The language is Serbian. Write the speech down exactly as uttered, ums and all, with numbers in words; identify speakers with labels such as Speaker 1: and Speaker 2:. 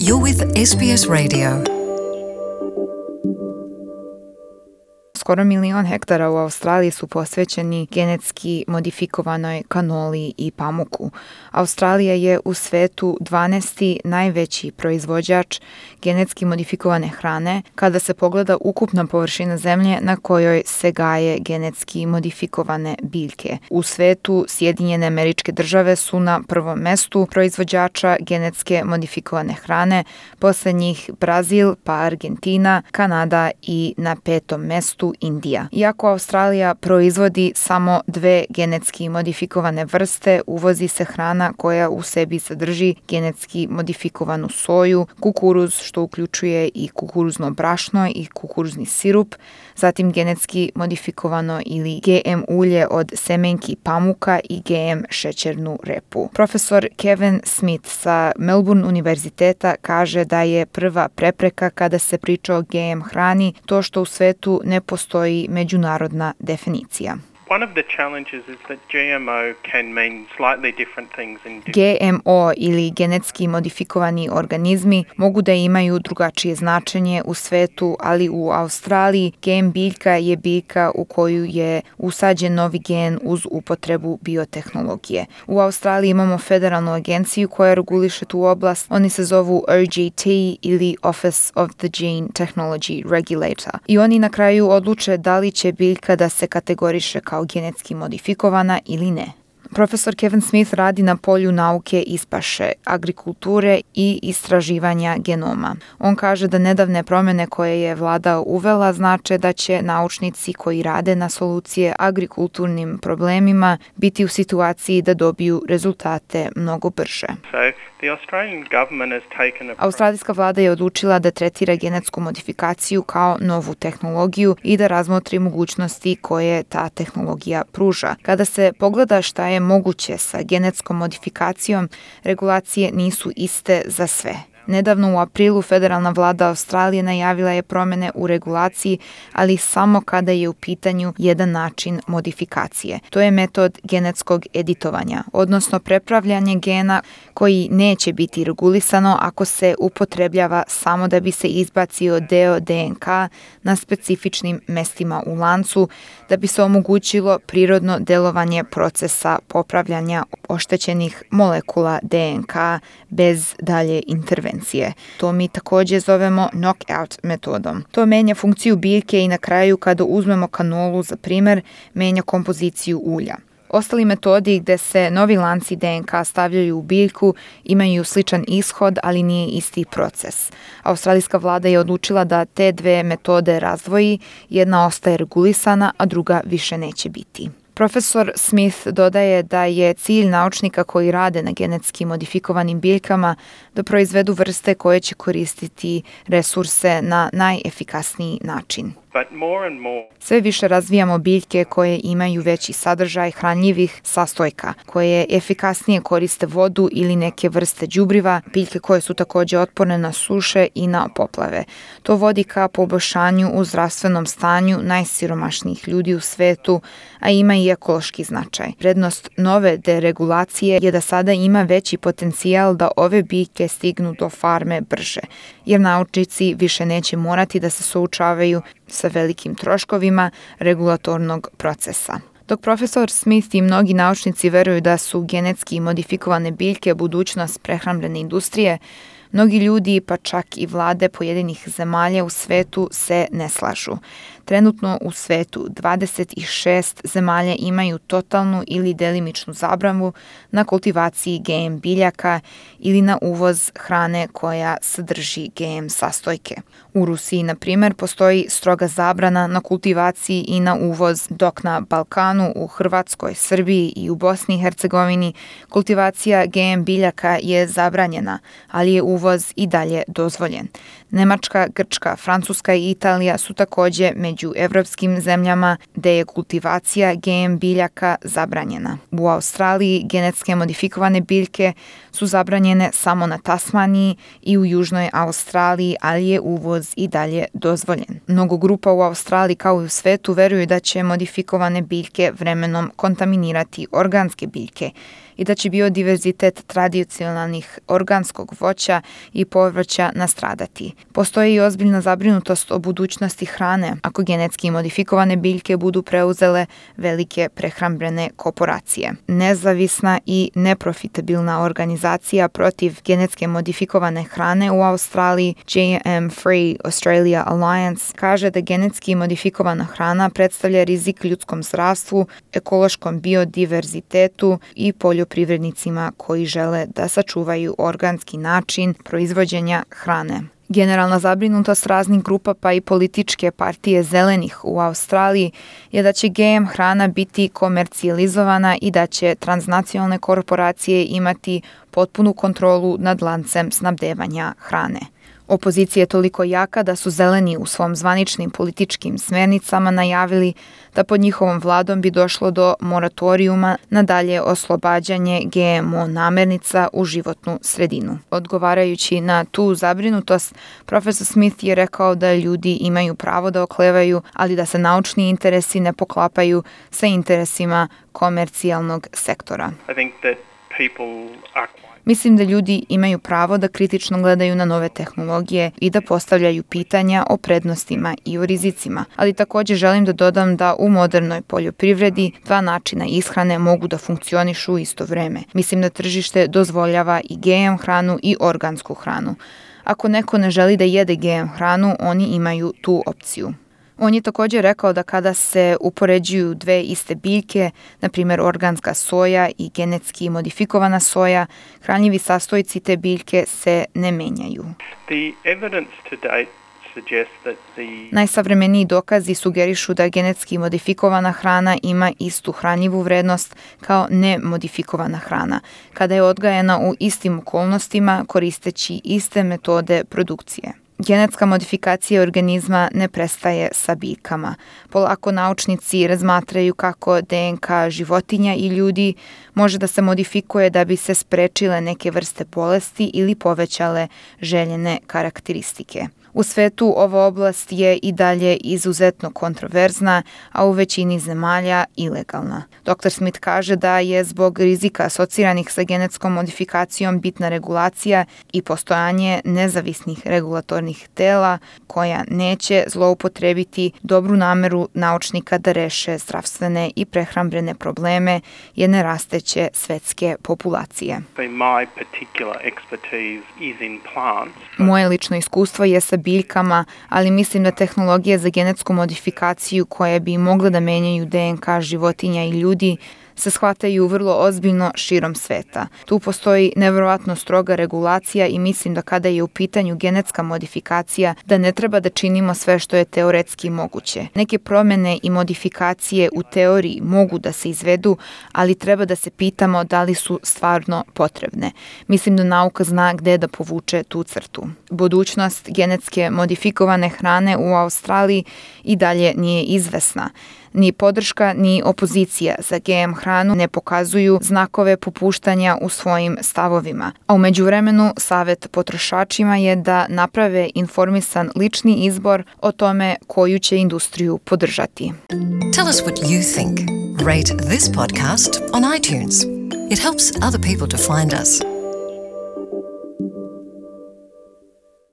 Speaker 1: You're with S B S Radio. Skoro milion hektara u Australiji su posvećeni genetski modifikovanoj kanoli i pamuku. Australija je u svetu dvanaesti najveći proizvođač genetski modifikovane hrane kada se pogleda ukupna površina zemlje na kojoj se gaje genetski modifikovane biljke. U svetu Sjedinjene Američke Države su na prvom mestu proizvođača genetske modifikovane hrane, posle njih Brazil, pa Argentina, Kanada i na petom mestu Indija. Iako Australija proizvodi samo dve genetski modifikovane vrste, uvozi se hrana koja u sebi sadrži genetski modifikovanu soju, kukuruz, što uključuje i kukuruzno brašno i kukuruzni sirup, zatim genetski modifikovano ili G M ulje od semenki pamuka i G M šećernu repu. Profesor Kevin Smith sa Melbourne univerziteta kaže da je prva prepreka kada se priča o G M hrani to što u svetu ne postoji međunarodna definicija.
Speaker 2: One of the challenges is that G M O can mean slightly different things in different...
Speaker 1: G M O ili genetski modifikovani organizmi mogu da imaju drugačije značenje u svetu, ali u Australiji G M biljka je biljka u koju je usađen novi gen uz upotrebu biotehnologije. U Australiji imamo federalnu agenciju koja reguliše tu oblast. Oni se zovu O G T ili Office of the Gene Technology Regulator. I oni na kraju odluče da li će biljka da se kategoriše kao genetski modifikovana ili ne. Profesor Kevin Smith radi na polju nauke iz paše, agrikulture i istraživanja genoma. On kaže da nedavne promjene koje je vlada uvela znače da će naučnici koji rade na solucije agrikulturnim problemima biti u situaciji da dobiju rezultate mnogo brže.
Speaker 2: So, the Australian government has taken a...
Speaker 1: Australijska vlada je odlučila da tretira genetsku modifikaciju kao novu tehnologiju i da razmotri mogućnosti koje ta tehnologija pruža. Kada se pogleda šta je moguće sa genetskom modifikacijom, regulacije nisu iste za sve. Nedavno u aprilu federalna vlada Australije najavila je promjene u regulaciji, ali samo kada je u pitanju jedan način modifikacije. To je metod genetskog editovanja, odnosno prepravljanje gena koji neće biti regulisano ako se upotrebljava samo da bi se izbacio deo D N K na specifičnim mestima u lancu, da bi se omogućilo prirodno delovanje procesa popravljanja oštećenih molekula D N K bez dalje intervencije. To mi također zovemo knockout metodom. To menja funkciju biljke i na kraju kada uzmemo kanolu za primjer, menja kompoziciju ulja. Ostali metodi gde se novi lanci D N K stavljaju u biljku imaju sličan ishod, ali nije isti proces. Australijska vlada je odlučila da te dve metode razdvoji, jedna ostaje regulisana, a druga više neće biti. Profesor Smith dodaje da je cilj naučnika koji rade na genetski modifikovanim biljkama da proizvedu vrste koje će koristiti resurse na najefikasniji način.
Speaker 2: But more and more...
Speaker 1: Sve više razvijamo biljke koje imaju veći sadržaj hranljivih sastojka, koje efikasnije koriste vodu ili neke vrste đubriva, biljke koje su također otporne na suše i na poplave. To vodi ka poboljšanju u zdravstvenom stanju najsiromašnijih ljudi u svetu, a ima i ekološki značaj. Prednost nove deregulacije je da sada ima veći potencijal da ove biljke stignu do farme brže, jer naučnici više neće morati da se suočavaju sa velikim troškovima regulatornog procesa. Dok profesor Smith i mnogi naučnici veruju da su genetski modifikovane biljke budućnost prehrambene industrije, mnogi ljudi, pa čak i vlade pojedinih zemalja u svetu se ne slažu. Trenutno u svetu dvadeset šest zemalja imaju totalnu ili delimičnu zabranu na kultivaciji G M biljaka ili na uvoz hrane koja sadrži G M sastojke. U Rusiji, na primjer, postoji stroga zabrana na kultivaciji i na uvoz, dok na Balkanu, u Hrvatskoj, Srbiji i u Bosni i Hercegovini kultivacija G M biljaka je zabranjena, ali je uvoz i dalje dozvoljen. Nemačka, Grčka, Francuska i Italija su također među evropskim zemljama gde je kultivacija G M biljaka zabranjena. U Australiji genetske modifikovane biljke su zabranjene samo na Tasmaniji i u Južnoj Australiji, ali je uvoz i dalje dozvoljen. Mnogo grupa u Australiji kao i u svetu veruju da će modifikovane biljke vremenom kontaminirati organske biljke i da će biodiverzitet tradicionalnih organskog voća i povrća nastradati. Postoji i ozbiljna zabrinutost o budućnosti hrane ako genetski modifikovane biljke budu preuzele velike prehrambene korporacije. Nezavisna i neprofitabilna organizacija protiv genetske modifikovane hrane u Australiji, G M Free Australia Alliance, kaže da genetski modifikovana hrana predstavlja rizik ljudskom zdravstvu, ekološkom biodiverzitetu i poljoprivrednicima koji žele da sačuvaju organski način proizvođenja hrane. Generalna zabrinutost raznih grupa pa i političke partije zelenih u Australiji je da će G M hrana biti komercijalizovana i da će transnacionalne korporacije imati potpunu kontrolu nad lancem snabdevanja hrane. Opozicija je toliko jaka da su zeleni u svom zvaničnim političkim smernicama najavili da pod njihovom vladom bi došlo do moratorijuma na dalje oslobađanje G M O namirnica u životnu sredinu. Odgovarajući na tu zabrinutost, profesor Smith je rekao da ljudi imaju pravo da oklevaju, ali da se naučni interesi ne poklapaju sa interesima komercijalnog sektora.
Speaker 2: I think that people are
Speaker 1: Mislim da ljudi imaju pravo da kritično gledaju na nove tehnologije i da postavljaju pitanja o prednostima i o rizicima, ali također želim da dodam da u modernoj poljoprivredi dva načina ishrane mogu da funkcionišu u isto vreme. Mislim da tržište dozvoljava i G M hranu i organsku hranu. Ako neko ne želi da jede G M hranu, oni imaju tu opciju. On je također rekao da kada se upoređuju dve iste biljke, na primjer organska soja i genetski modifikovana soja, hranjivi sastojci te biljke se ne menjaju.
Speaker 2: The evidence to date suggests that the
Speaker 1: Najsavremeniji dokazi sugerišu da genetski modifikovana hrana ima istu hranjivu vrednost kao nemodifikovana hrana, kada je odgajana u istim okolnostima koristeći iste metode produkcije. Genetska modifikacija organizma ne prestaje sa biljkama. Polako naučnici razmatraju kako D N K životinja i ljudi može da se modifikuje da bi se sprečile neke vrste bolesti ili povećale željene karakteristike. U svetu ova oblast je i dalje izuzetno kontroverzna, a u većini zemalja ilegalna. doktor Smith kaže da je zbog rizika asociranih sa genetskom modifikacijom bitna regulacija i postojanje nezavisnih regulatornih tela koja neće zloupotrebiti dobru nameru naučnika da reše zdravstvene i prehrambene probleme jedne rasteće svetske populacije.
Speaker 2: my particular expertise is in plants.
Speaker 1: Moje lično iskustvo je sa biljkama, ali mislim da tehnologije za genetsku modifikaciju koje bi mogle da menjaju D N K životinja i ljudi se shvataju vrlo ozbiljno širom sveta. Tu postoji nevjerovatno stroga regulacija i mislim da kada je u pitanju genetska modifikacija da ne treba da činimo sve što je teoretski moguće. Neke promjene i modifikacije u teoriji mogu da se izvedu, ali treba da se pitamo da li su stvarno potrebne. Mislim da nauka zna gde da povuče tu crtu. Budućnost genetske modifikovane hrane u Australiji i dalje nije izvesna. Ni podrška, ni opozicija za G M hranu ne pokazuju znakove popuštanja u svojim stavovima. A u međuvremenu savjet potrošačima je da naprave informisan lični izbor o tome koju će industriju podržati.
Speaker 3: Tell us what you think. Rate this podcast on iTunes. It helps other people to find us.